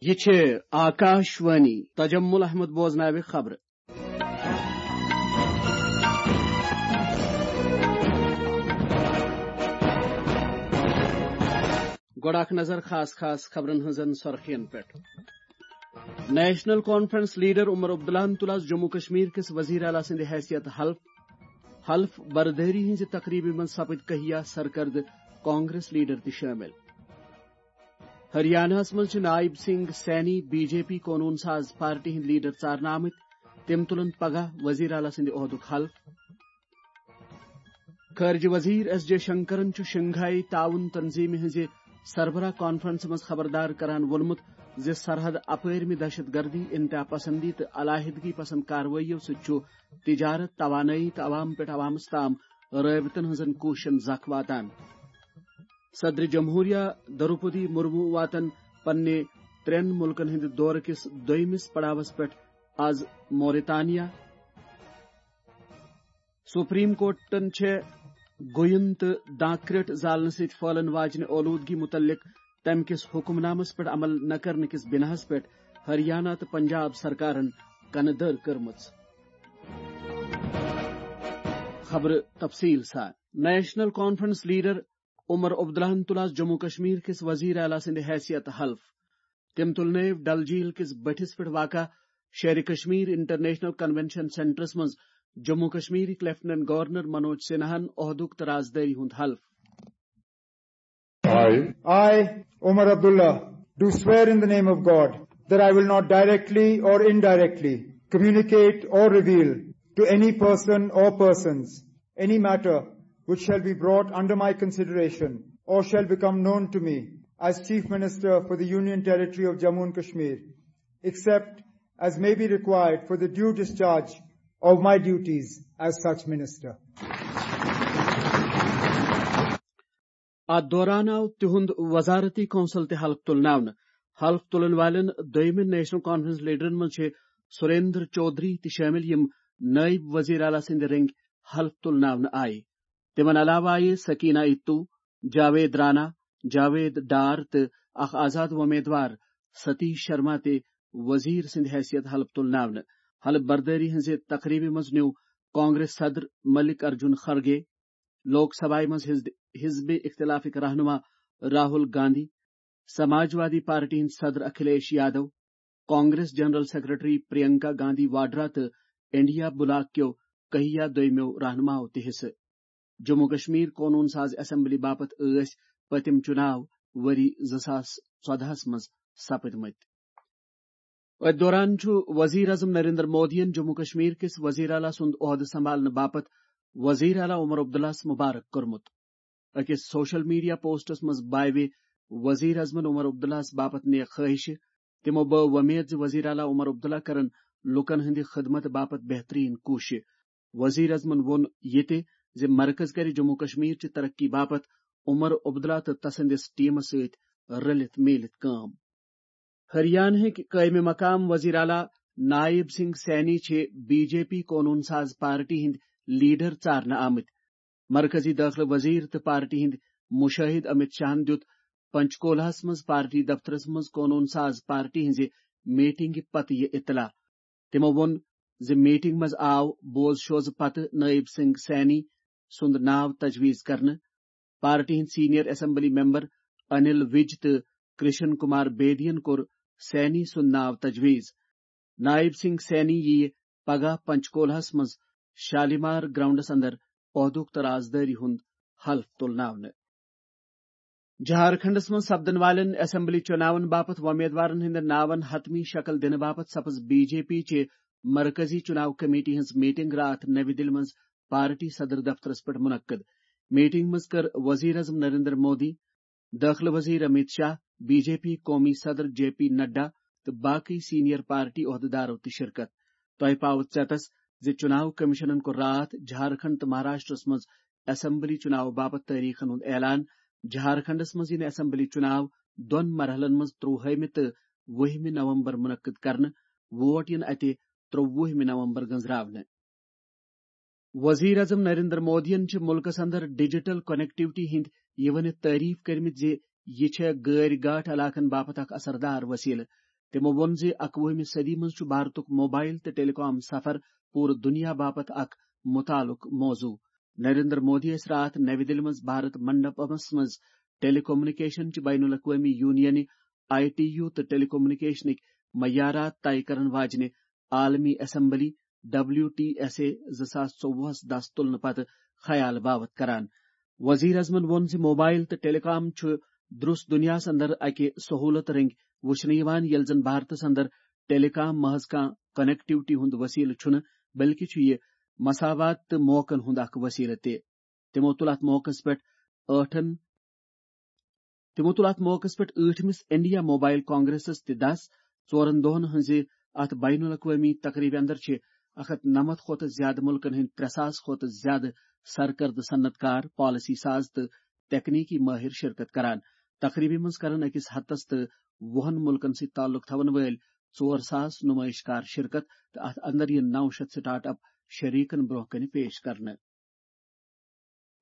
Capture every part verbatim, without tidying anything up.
یہِ چھِ آکاشوانی۔ تجمل احمد بوزناوِ خبرٕ۔ گۄڈٕ اکھ نظر خاص خاص خبرن ہٕنٛزن سرخین پٮ۪ٹھ۔ نیشنل کانفرنس لیڈر عمر عبداللہن تُل آز جموں کشمیر کِس وزیر اعلیٰ سٕنٛدِ حیثیت حلف۔ حلف بردٲری ہٕنٛزِ تقریبہِ منٛز سپٕدۍ کہیا سرکردٕ کانگریس لیڈر تہِ شٲمِل۔ ہریاناہس منٛز چھِ نائب سنگھ سینی بی جے پی قونوٗن ساز پارٹی ہٕنٛدۍ لیڈر ژارنہٕ آمٕتۍ۔ تِم تُلن پگاہ وزیر اعلیٰ سٕنٛدِ عہدُک حلف۔ خارجہ وزیر ایس جے شنکرن چھُ شنگھائی تعاون تنظیمہِ ہٕنٛزِ سربراہ کانفرنسہِ منٛز خبردار کران ووٚنمُت زِ سرحد اپٲرمہِ دہشت گردی، انتہا پسندی تہٕ علیحدگی پسند کاروٲییو سۭتۍ چھُ تجارت، توانٲیی تہٕ عوام پٮ۪ٹھ عوامس تام رٲبطن ہٕنٛزن کوٗششن زکھ واتان۔ صدر جمہوریہ دروپدی مرمو واتن پننہِ ترٛٮ۪ن مُلکن ہٕنٛدِ دورٕ کِس دوٚیمِس پڑاوس پٮ۪ٹھ آز موریتانیا۔ سپریم کورٹن چھےٚ گوین تہٕ دانکرٹ زالنہٕ سۭتۍ پھٔہلن واجنہِ اولوٗدگی مُتعلق تَمہِ کِس حُکم نامس پٮ۪ٹھ عمل نہ کرنہٕ کِس بِناہس پٮ۪ٹھ ہریانہ تہٕ پنجاب سرکارن کنہٕ دٔر کٔرمٕژ۔ خبرٕ تفصیٖل سان۔ نیشنل کانفرنس لیڈر عمر عبداللہن تُل آز جموں کشمیر کِس وزیر اعلیٰ سٕنٛدِ حیثیت حلف۔ تٔمۍ تُل نٲوۍ ڈل جھیل کِس بٔٹھِس پٮ۪ٹھ واقع شیرِ کشمیر انٹرنیشنل کنونشن سینٹرس منٛز جموں کشمیرٕکۍ لیفٹیننٹ گورنر منوج سنہاہن عہدُک تہٕ رازدٲری ہُنٛد حلف۔ I, I, Omar Abdullah, do swear in the name of God that I will not directly or indirectly communicate or reveal to any person or persons any matter which shall be brought under my consideration or shall become known to me as Chief Minister for the Union Territory of Jammu and Kashmir, except as may be required for the due discharge of my duties as such minister. اتھ دوران آو تِہُنٛد وزارتی council تہِ حلف تُلناونہٕ۔ حلف تُلن والٮ۪ن دوٚیمٮ۪ن نیشنل کانفرنس لیڈرن منٛز چھِ سریندر چودھری تہِ شٲمِل، یِم نٲیِب وزیر اعلیٰ سٕنٛدِ رٔنگۍ حلف تُلناونہٕ آیہِ۔ تِمن علاوٕ آیہِ سکینہ اتو، جاوید رانا، جاوید ڈار تہٕ اکھ آزاد وۄمیدوار ستیش شرما تہِ وزیر سٕنٛدِ حیثیت حلف تُلناونہٕ۔ حلف بردٲری ہٕنٛزِ تقریبہِ منٛز نیوٗ کانگریس صدر ملک ارجن خرگے، لوک سبھایہ منٛز حزب، حزب اختلافٕکۍ رہنما راہل گاندھی، سماجوادی پارٹی ہٕنٛدۍ صدر اکھلیش یادو، کانگریس جنرل سیکرٹری پرینکا گاندھی واڈرا تہٕ انڈیا بلاک کیو کہیا دویمیو رہنماو تہِ حصہٕ۔ جموں کشمیر قونوٗن ساز اسمبلی باپتھ ٲسۍ پٔتِم چُناو ؤری زٕ ساس ژۄدہَس منٛز سپٕدمٕتۍ۔ أتھۍ دوران چھُ وزیر اعظم نریندر مودیَن جموں کشمیر کِس وزیر اعلیٰ سُنٛد عہدٕ سنبھالنہٕ باپتھ وزیر اعلیٰ عمر عبداللہَس مبارک کوٚرمُت۔ أکِس سوشل میڈیا پوسٹس منٛز بایوِ وزیر اعظمن عمر عبداللہَس باپتھ نیک خٲہشہِ۔ تِمو بٲو وۄمید زِ وزیر اعلیٰ عمر عبداللہ کرن لوٗکن ہٕنٛدِ خدمت باپتھ بہترین کوٗشش۔ وزیر اعظمن ووٚن یہِ تہِ زِ مرکز کرِ جموں کشمیر چہِ ترقی باپتھ عمر عبداللہ تہٕ تسٕنٛدِس ٹیمس سۭتۍ رلِتھ میٖلِتھ کٲم۔ ہریانہٕکۍ قٲیمِ مقام وزیر اعلیٰ نائب سنگھ سینی چھِ بی جے پی قونوٗن ساز پارٹی ہٕنٛدۍ لیڈر ژارنہٕ آمٕتۍ۔ مرکزی دٲخلہٕ وزیر تہٕ پارٹی ہٕنٛدۍ مُشٲہِد امت شاہن دیُت پنچکولہس منٛز پارٹی دفترس منٛز قونوٗن ساز پارٹی ہٕنٛزِ میٹنگہِ پتہٕ یہِ اطلاع۔ تِمو ووٚن زِ میٹنگ منٛز آو بوز شوزٕ پتہٕ نائب سنگھ سینی سُنٛد ناو تجویز کرنہٕ۔ پارٹی ہٕنٛدۍ سینئر اسمبلی ممبر انل وج تہٕ کرشن کمار بیدین کوٚر سینی سُنٛد ناو تجویز۔ نائب سنگھ سینی یِیہِ پگاہ پنچکولہس منٛز شالیمار گراؤنڈس اندر عہدُک تہٕ رازدٲری ہُنٛد حلف تُلناونہٕ۔ جھارکھنڈس منٛز سپدن والٮ۪ن اسمبلی چُناون باپتھ وۄمیدوارن ہٕنٛدٮ۪ن ناون حتمی شکل دِنہٕ باپتھ سپٕز بی جے پی چہِ مرکزی چُناو کمیٹی ہٕنٛز میٹنگ راتھ نٔوِ دِلہِ منٛز پارٹی صدر دفترس پٮ۪ٹھ منعقد۔ میٹنگ منٛز کٔر وزیر اعظم نریندر مودی، دٲخلہٕ وزیر Amit Shah, B J P قومی صدر جے پی نڈا تہٕ باقٕے سینئر پارٹی عہدٕدارو تہِ شرکت۔ تۄہہِ پاوٕ ژیتس زِ چُناو کمیشنن کوٚر راتھ جھارکھنڈ تہٕ مہاراشٹرس منٛز اسمبلی چُناو باپتھ تٲریخن ہُنٛد اعلان۔ جھارکھنڈس منٛز یِنہٕ اسمبلی چُناو دۄن مرحلن منٛز ترٛوُہمہِ تہٕ وُہمہِ نومبر منعقد کرنہٕ۔ ووٹ یِن اتہِ ترٛوُہمہِ نومبر گنزراونہٕ۔ وزیر اعظم نریندر مودیَن چھِ مُلکَس اندر ڈیجیٹل کنیکٹیوٹی ہٕنٛدۍ یہِ ؤنِتھ تعریف کٔرمٕتۍ زِ یہِ چھےٚ غٲرۍ گاٹھ علاقن باپتھ اکھ اثردار وسیلہٕ۔ تِمو ووٚن زِ اکوُہمہِ صدی منٛز چھُ بھارتُک موبائل تہٕ ٹیلی کام سفر پوٗرٕ دُنیا باپتھ اکھ متعلق موضوع۔ نریندر مودی ٲسۍ راتھ نَوِ دِلہِ منٛز بھارت منڈپمس منٛز ٹیلی کمیونیکیشن چہِ بین الاقوٲمی یونینہِ، آئی ٹی یو، تہٕ ٹیلی کمیونیکیشنٕکۍ معیارات طے کرن واجنہِ عالمی assembly, W T S A, زٕ ساس ژوٚوُہس دس تُلنہٕ پتہٕ خیال باوت کران۔ وزیر اعظمن ووٚن زِ موبائل تہٕ ٹیلی کام چھُ درس دنیاہس اندر اکہِ سہولت رنگۍ وُچھنہٕ یِوان، ییٚلہِ زن بھارتس اندر ٹیلی کام محض کانٛہہ کنیکٹیوٹی ہُنٛد وسیلہٕ چھُنہٕ، بلکہِ چھُ یہِ مساوات تہٕ موقعن ہُنٛد اکھ وسیلہٕ تہِ۔ تِمو تُل اتھ موقعس پٮ۪ٹھ ٲٹھن تِمو تُل اتھ موقعس پٮ۪ٹھ ٲٹھمِس انڈیا موبائل کانگریسس تہِ دَس۔ ژورن دۄہن ہٕنٛزِ اتھ بین الاقوٲمی تقریبہِ اندر چھِ اکھ ہتھ نَمتھ کھۄتہٕ زیادٕ مُلکن ہٕنٛدۍ ترٛےٚ ساس کھۄتہٕ زیادٕ سرکردٕ صنعت کار، پالیسی ساز تہٕ تکنیکی مٲہِر شرکت کران۔ تقریبہِ منٛز کرن أکِس ہتس تہٕ وُہن مُلکن سۭتۍ تعلق تھاون وٲلۍ ژور ساس نمائش کار شرکت تہٕ اتھ اندر یِن نو شیتھ سٹارٹ اپ شریکن برونٛہہ کنہِ پیش کرنہٕ۔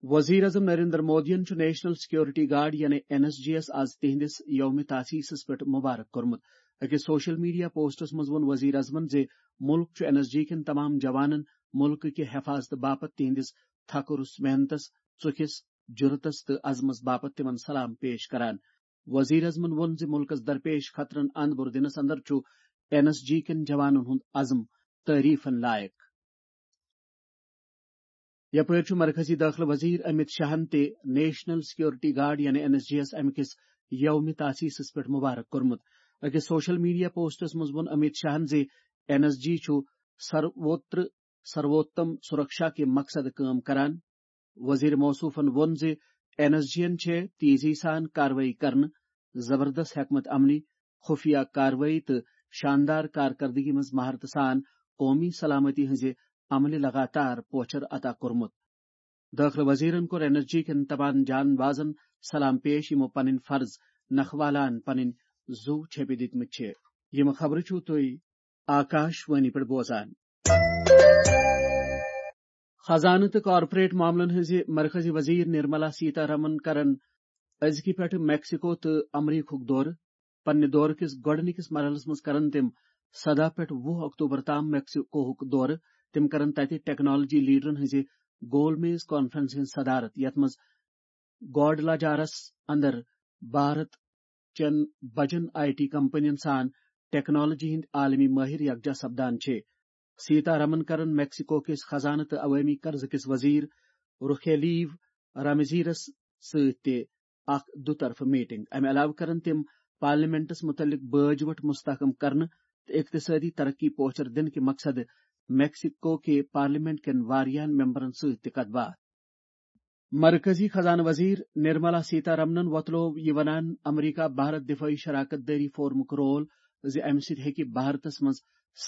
وزیر اعظم نریندر مودیَن چھُ نیشنل سیکورٹی گارڈ یعنی این ایس جی یَس آز تِہنٛدِس یوم تاسیسَس پٮ۪ٹھ مبارک کوٚرمُت۔ أکِس سوشل میڈیا پوسٹس منٛز ووٚن وزیر اعظمن زِ مُلک چھُ این ایس جی کٮ۪ن تمام جوانن مُلکہٕ کہِ حفاظتہٕ باپتھ تِہنٛدِس تھکہٕ روٚس محنتس، ژُکھِس، جرأتس تہٕ عزمس باپتھ تِمن سلام پیش کران۔ وزیر اعظمن ووٚن زِ مُلکس درپیش خطرن اند بُر دِنس اندر چھُ این ایس جی کٮ۪ن جوانن ہُنٛد عزم تعریفن لائق۔ یپٲرۍ چھُ مرکزی دٲخلہٕ وزیر امت شاہن تہِ نیشنل سیکورٹی گارڈ یعنی این ایس جی یَس امہِ کِس یوم تاسیسَس پٮ۪ٹھ مبارک کوٚرمُت۔ أکِس سوشل میڈیا پوسٹس منٛز ووٚن امت شاہن زِ این ایس جی چھُ سروتر سروتم سرکشا کہِ مقصد کٲم کران۔ وزیر موصوفن ووٚن زِ این ایس جی یَن چھےٚ تیزی سان کاروٲیی کرنہٕ، زبردست حکمت عملی، خفیہ کاروٲیی تہٕ شاندار کارکردگی منٛز مہارتہٕ سان قومی سلامتی ہٕنٛزِ عملہِ لگاتار پوچھر عطا کوٚرمُت۔ دٲخلہٕ وزیرن کوٚر این ایس جی کٮ۪ن تمام جان بازن سلام پیش، یِمو پنٕنۍ فرض نکھٕ والان پنٕنۍ زُو چھیٚپہِ دِتمٕتۍ چھِ۔ یِم خبرٕ چھِو تُہۍ آکاش وانی پٮ۪ٹھ بوزان۔ خزانہٕ تہٕ کارپوریٹ معاملن ہٕنٛزِ مرکزی وزیر نرملا سیتا رمن کرن أزکہِ پٮ۪ٹھٕ میکسیکو تہٕ امریکہُک دورٕ۔ پننہِ دورٕ کِس گۄڈٕنِکِس مرحلس منٛز کرن تِم سداہ پٮ۪ٹھ وُہ اکتوبر تام میکسیکوہُک دورٕ۔ تِم کرن تتہِ ٹیکنالوجی لیڈرن ہٕنٛزِ گول میز کانفرنسہِ ہٕنٛز صدارت، یتھ منٛز گواڈلاجارس اندر بھارت چٮ۪ن بجن آئی ٹی کمپنین سان ٹیکنالوجی ہٕنٛدۍ عالمی مٲہِر یکجا سپدان چھِ۔ سیتا رمن کرن میکسیکو کِس خزانہٕ تہٕ عوٲمی قرضہٕ کِس وزیر رخیلیو رامزیرس سۭتۍ تہِ اکھ دُطرفہٕ میٹنگ۔ امہِ علاوٕ کرن تِم پارلیمنٹس مُتعلق بٲج وٹھ مستحکم کرنہٕ تہٕ اقتصٲدی ترقی پوچھر دِنہٕ کہِ مقصدٕ میکسیکو کہِ پارلیمنٹ کٮ۪ن واریاہن ممبرن سۭتۍ تہِ کتھ باتھ۔ مرکزی خزانہٕ وزیر نرملا سیتا رمنن وۄتلوو یہِ ونان امریکہ بھارت دفٲعی شراکت دٲری فورمُک رول زِ امہِ سۭتۍ ہیٚکہِ بھارتس منٛز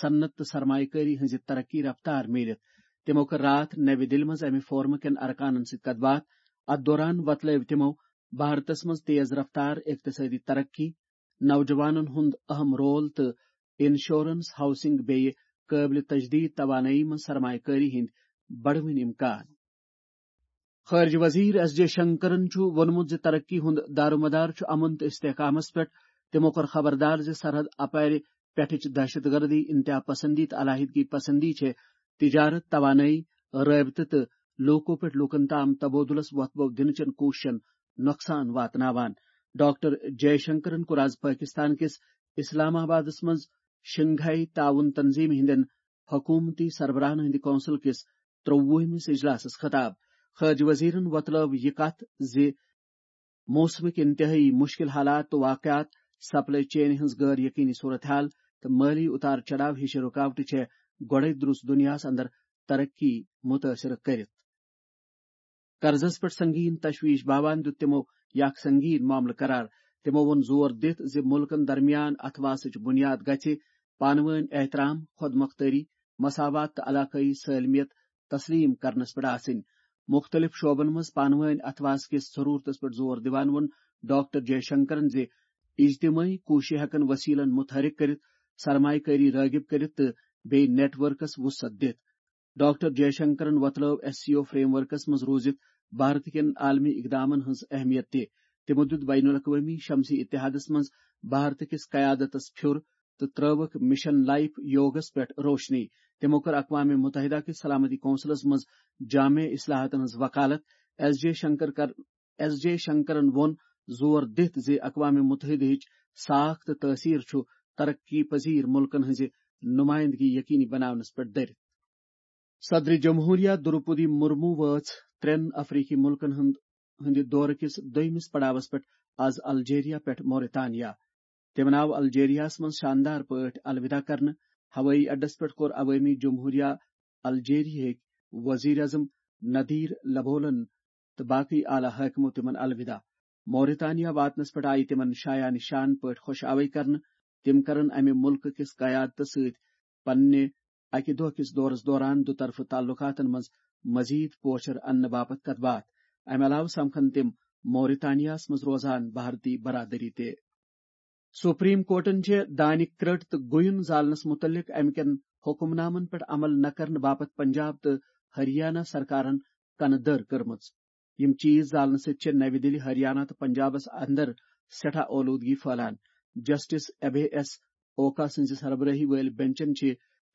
صنعت تہٕ سرمایہ کٲری ہٕنٛزِ ترقی رفتار میٖلِتھ۔ تِمو کٔر راتھ نَوِ دِلہِ منٛز امہِ فورمہٕ کٮ۪ن ارکانن سۭتۍ کتھ باتھ۔ اتھ دوران وۄتلٲوۍ تِمو بھارتس منٛز تیز رفتار اقتصٲدی ترقی، نوجوانن ہُنٛد اہم رول تہٕ انشورنس، ہاؤسنگ بیٚیہِ قٲبلِ تجدید توانٲیی منٛز سرمایہ کٲری ہٕنٛدۍ بڑوٕنۍ امکان۔ خارجہ وزیر ایس جے شنکرن چھُ ووٚنمُت زِ ترقی ہُنٛد دارومدار چھُ امن تہٕ استحکامس پٮ۪ٹھ۔ تِمو کوٚر خبردار زِ سرحد اپارِ پٮ۪ٹھٕچ دہشت گردی، انتہا پسندی تہٕ علیحدگی پسندی چھِ تجارت، توانٲیی، رٲبطہٕ تہٕ لوٗکو پٮ۪ٹھ لوٗکن تام تبادلس وۄتھٕ بو دِنہٕ چٮ۪ن کوٗششن نۄقصان واتناوان۔ ڈاکٹر جے شنکرن کوٚر آز پٲکستان کِس اسلام آبادس منٛز شنگھائی تعاون تنظیمہِ ہٕنٛدٮ۪ن حکوٗمتی سربراہن ہٕنٛدِ کونسل کِس ترٛۆوُہمِس اجلاسس خطاب۔ خارجہ وزیرن وۄتلٲو یہِ کتھ زِ موسمٕکۍ انتہٲئی مشکل حالات تہٕ واقعات، سپلائی چین ہٕنٛز غٲر یقینی صورتحال تہٕ مٲلی اتار چڑاو ہِش رکاوٹہٕ چھےٚ گۄڈے درُس دنیاہس اندر ترقی متٲثر کٔرِتھ۔ قرضس پٮ۪ٹھ سنگین تشویش باوان دیُت تِمو یہِ اکھ سنگین معاملہٕ قرار۔ تِمو ووٚن زور دِتھ زِ مُلکن درمیان اتھواسٕچ بُنیاد گژھِ پانہٕ وٲنۍ احترام، خود مختٲری، مساوات تہٕ علاقٲیی سٲلمیت تسلیم کرنس پٮ۪ٹھ آسٕنۍ۔ مُختٔلِف شعبن منٛز پانہٕ وٲنۍ اتھواس کِس ضرورتس پٮ۪ٹھ زور دِوان ووٚن ڈاکٹر جے شنکرن زِ اجتمٲعی کوٗششہٕ ہٮ۪کن وسیلن متحرک کٔرِتھ، سرمایہ کٲری رٲغب کٔرِتھ تہٕ بیٚیہِ نیٹ ورکس وسعت دِتھ۔ ڈاکٹر جے شنکرن وۄتلٲو ایس سی او فریم ورکس منٛز روٗزِتھ بھارت کٮ۪ن عالمی اقدامن ہٕنٛز اہمیت تہِ۔ تِمو دیُت بین الاقوٲمی شمسی اتحادس منٛز بھارت کِس قیادتس پھیُر تہٕ ترٲوٕکھ مشن لائف یوگس پٮ۪ٹھ روشنی۔ تِمو کٔر اقوام متحدہ کِس سلامتی کونسلس منٛز جامع اصلاحاتن ہٕنٛز وکالت۔ ایس جے شنکر کر-، ایس جے شنکرن ووٚن زور دِتھ زِ اقوام متحدہٕچ ساکھ تہٕ تٲثیر چھُ ترقی پذیر ملکن ہٕنٛزِ نمائندگی یقینی بناونس پٮ۪ٹھ دٔرِتھ۔ صدر جمہوریہ دروپدی مرمو وٲژ ترٛٮ۪ن افریقی ملکن ہُنٛد، ہٕنٛدِ دورٕ کِس دوٚیمِس پڑاوس پٮ۪ٹھ از الجیریا پٮ۪ٹھ موریتانیا۔ تٔمۍ آو الجیریاہس منٛز شاندار پٲٹھۍ الوداع کرنہٕ۔ ہوٲیی اڈس پٮ۪ٹھ کوٚر عوٲمی جمہوریہ الجیریاہٕکۍ وزیر اعظم ندیر لبولن تہٕ باقٕے اعلیٰ حٲکمو تِمن الوداع۔ موریتانیا واتنس پٮ۪ٹھ آیہِ تِمن شایان شان پٲٹھۍ خۄش آوے کرنہٕ۔ تِم کرن امہِ ملکہٕ کِس قیادتس سۭتۍ پننہِ اکہِ دۄہ کِس دورس دوران دُطرفہٕ تعلقاتن منٛز مزید پوچھر اننہٕ باپتھ کتھ باتھ۔ امہِ علاوٕ سمکھن تِم موریتانیاہس منٛز روزان بھارتی برادری تہِ۔ سپریم کورٹن چھِ دانہِ کرٛٹ تہٕ گوٚیُن زالنس متعلق امہِ کٮ۪ن حکم نامن پٮ۪ٹھ عمل نہ کرنہٕ باپتھ پنجاب تہٕ ہریانہ سرکارن کنہٕ دٔر کٔرمٕژ۔ یِم چیز زالنہٕ سۭتۍ چھِ نَوِ دِلہِ، ہریانہ تہٕ پنجابس اندر سٮ۪ٹھاہ اولودگی پھٔہلان۔ جسٹس ابے ایس اوکا سٕنٛزِ سربرٲہی وٲلۍ بنچن چھِ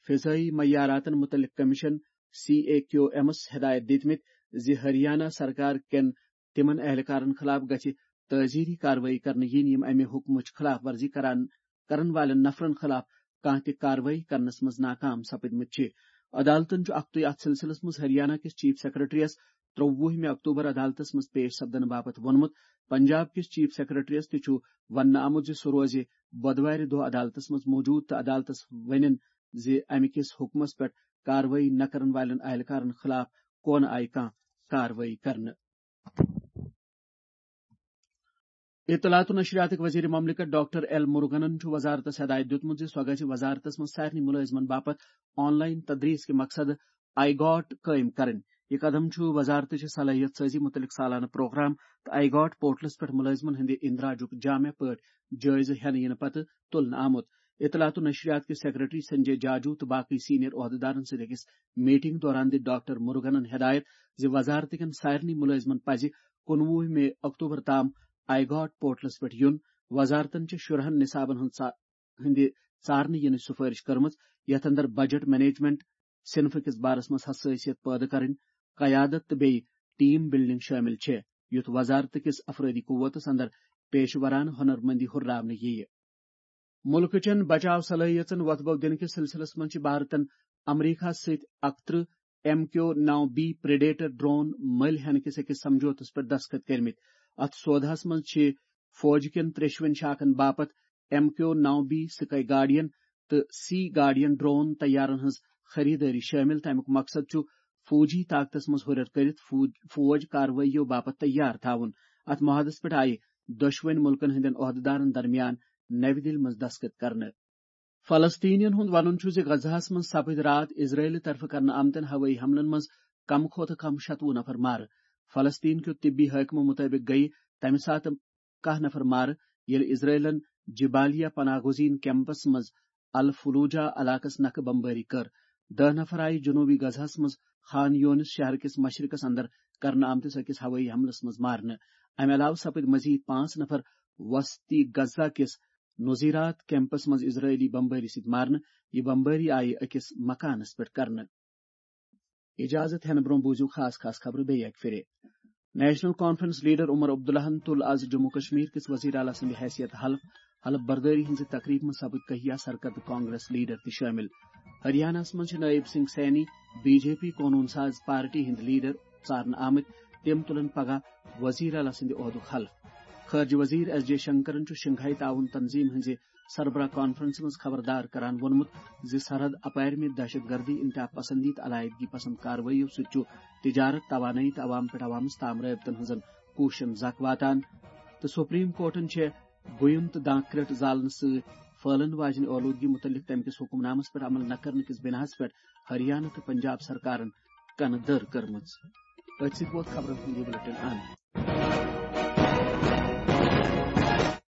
فضٲیی معیاراتن متعلق کمیشن، سی اے کیو ایمس ہدایت دِتمٕتۍ زِ ہریانہ سرکار کٮ۪ن تِمن اہلکارن خلاف گژھِ تعزیری کاروٲیی کرنہٕ یِنۍ، یِم امہِ حکمٕچ خلاف ورزی کران، کرن والٮ۪ن نفرن خلاف کانٛہہ تہِ کاروٲیی کرنس منٛز ناکام سپدمٕتۍ چھِ۔ عدالتن چھُ اکھتُے اتھ سلسلس منٛز ہریانہ کِس چیف سیکرٹریَس ترٛوُہمہِ اکتوبر عدالتس منٛز پیش سپدنہٕ باپتھ ووٚنمُت۔ پنجاب کِس چیف سیکرٹریَس تہِ چھُ وننہٕ آمُت زِ سُہ روزِ بۄدوارِ دۄہ عدالتس منٛز موجود تہٕ عدالتس ونن زِ امہِ کِس حکمس پٮ۪ٹھ کاروٲیی نہ کرن والٮ۪ن اہلکارن خلاف کونہٕ آیہِ کانٛہہ کاروٲیی کرنہٕ۔ اطلاعات و نشریاتٕکۍ وزیر مملکت ڈاکٹر ایل مرغنن چھُ وزارتس ہدایت دیُتمُت زِ سۄ گژھِ وزارتس منٛز سارنٕے مُلٲزمن باپتھ آن لائن تدریس کہِ مقصد آئی گاٹ قٲیِم کرٕنۍ۔ یہِ قدم چھُ وزارتٕچہِ صلٲحیت سازی مُتعلق سالانہٕ پروگرام تہٕ آئی گاٹ پورٹلس پٮ۪ٹھ مُلٲزمن ہٕنٛدِ اندراجُک جامع پٲٹھۍ جٲیزٕ ہٮ۪نہٕ یِنہٕ پتہٕ تُلنہٕ آمُت۔ اطلاعات و نشریات کِس سیکرٹری سنجے جاجو تہٕ باقٕے سینئر عہدٕدارن سۭتۍ أکِس میٹنگ دوران دِژ ڈاکٹر مرغنن ہدایت زِ وزارتٕکٮ۪ن سارنٕے مُلٲزمن پزِ کُنوُہ مئی اکتوبر تام آئی گاٹ پورٹلس پٮ۪ٹھ یُن۔ وزارتن چھِ شُرہن نصابن ہٕنٛز ژا-، ہٕنٛدِ ژارنہٕ یِنٕچ سفٲرش کٔرمٕژ، یتھ اندر بجٹ مینجمنٹ، صنفہٕ کِس بارس منٛز حساسیت پٲدٕ کرٕنۍ، قیادت تہٕ بیٚیہِ ٹیم بلڈنگ شٲمِل چھِ، یُتھ وزارتہٕ کِس افرٲدی قوتس اندر پیشہٕ ورانہٕ ہُنر مندی ہُرراونہٕ یِیہِ۔ مُلکہٕ چٮ۪ن بچاو صلٲحیژن وۄتھٕ بو دِنہٕ کِس سلسلس منٛز چھِ بھارتن امریکہس سۭتۍ اکترٕہ ایم کیو نو بی پریڈیٹر ڈرون مٔلۍ ہٮ۪نہٕ کِس أکِس سمجھوتس پٮ۪ٹھ دستخط کٔرمٕتۍ۔ اتھ سوداہس منٛز چھِ فوج کٮ۪ن ترٛیشوٕنۍ شاخن باپتھ ایم کیو نو بی سکائی گارڈین تہٕ سی گارڈین ڈرون طیارن ہٕنٛز خریدٲری شٲمِل، تہٕ امیُک مقصد چھُ فوجی طاقتس منٛز ہُرٮ۪ر کٔرِتھ فوج، فوج کاروٲییو باپتھ تیار تھاوُن۔ اتھ معاہدس پٮ۪ٹھ آیہِ دۄشوٕنۍ مُلکن ہٕنٛدٮ۪ن عہدٕدارن درمیان نَوِ دِلہِ منٛز دستخط کرنہٕ۔ فلسطینین ہُنٛد وَنُن چھُ زِ غزہَس منٛز سپٕدۍ راتھ اسرائیل طرفہٕ کرنہٕ آمتٮ۪ن ہوٲیی حملن منٛز کم کھۄتہٕ کم شتوُہ نفر مارٕ۔ فلسطین کیو طبی حٲکمو مُطٲبِق گٔیہِ تَمہِ ساتہٕ کاہ نفر مارٕ، ییٚلہِ اسرائیلن جبالیہ پناہ گزین کیمپس منٛز الفلوجہ علاقس نکھٕ بمبٲری کٔر۔ دَہ نفر آیہِ جنوبی غزہَس منٛز خان یونس شہر کِس مشرقس اندر کرنہٕ آمتِس أکِس ہوٲیی حملس منٛز مارنہٕ۔ امہِ علاوٕ سپٕدۍ مزید پانٛژھ نفر وسطی غزہ کِس نذیرات کیمپس منٛز اسرائیلی بمبٲری سۭتۍ مارنہٕ۔ یہِ بمبٲری آیہِ أکِس مکانس پٮ۪ٹھ کرنہٕ۔ اجازت ہٮ۪نہٕ برٛونٛہہ بوٗزِو خاص خاص خبرٕ بیٚیہِ اکہِ پھِرِ۔ نیشنل کانفرنس لیڈر عمر عبداللہن تُل از جموں کشمیر کِس وزیر اعلیٰ سٕنٛدِ حیثیت حلف۔ حلف بردٲری ہٕنٛزِ تقریبہِ منٛز سپٕدۍ کہیا سرکردٕ کانگریس لیڈر تہِ شٲمِل۔ ہریاناہس منٛز چھِ نائب سنگھ سینی، بی جے پی قونوٗن ساز پارٹی ہٕنٛدۍ لیڈر ژارنہٕ آمٕتۍ۔ تِم تُلن پگاہ وزیر اعلیٰ سٕنٛدِ عہدُک حلف۔ خارجہ وزیر ایس جے شنکرن چھُ شنگھائی تعاون تنظیم ہٕنٛزِ سربراہ کانفرنسہِ منٛز خبردار کران ووٚنمُت زِ سرحد اپارِ مےٚ دہشت گردی، انتہا پسندی تہٕ علاحدگی پسند کاروٲییو سۭتۍ چھُ تجارت، توانٲیی تہٕ عوام پٮ۪ٹھ عوامس تام رٲبطن ہٕنٛزن کوٗششن زکھ واتان۔ تہٕ سپریم کورٹن چھےٚ گوٚیم تہٕ دانٛکھ کرٛٹ زالنہٕ سۭتۍ پھٔہلن واجنہِ اولودگی مُتعلق تَمہِ کِس حُکم نامس پٮ۪ٹھ عمل نہ کرنہٕ کِس بِناہس پٮ۪ٹھ ہریانہ تہٕ پنجاب سرکارن کنہٕ دٔر کٔرمٕژ۔ أتھۍ سۭتۍ ووت خبرن ہُنٛد یہِ بُلٹن اند۔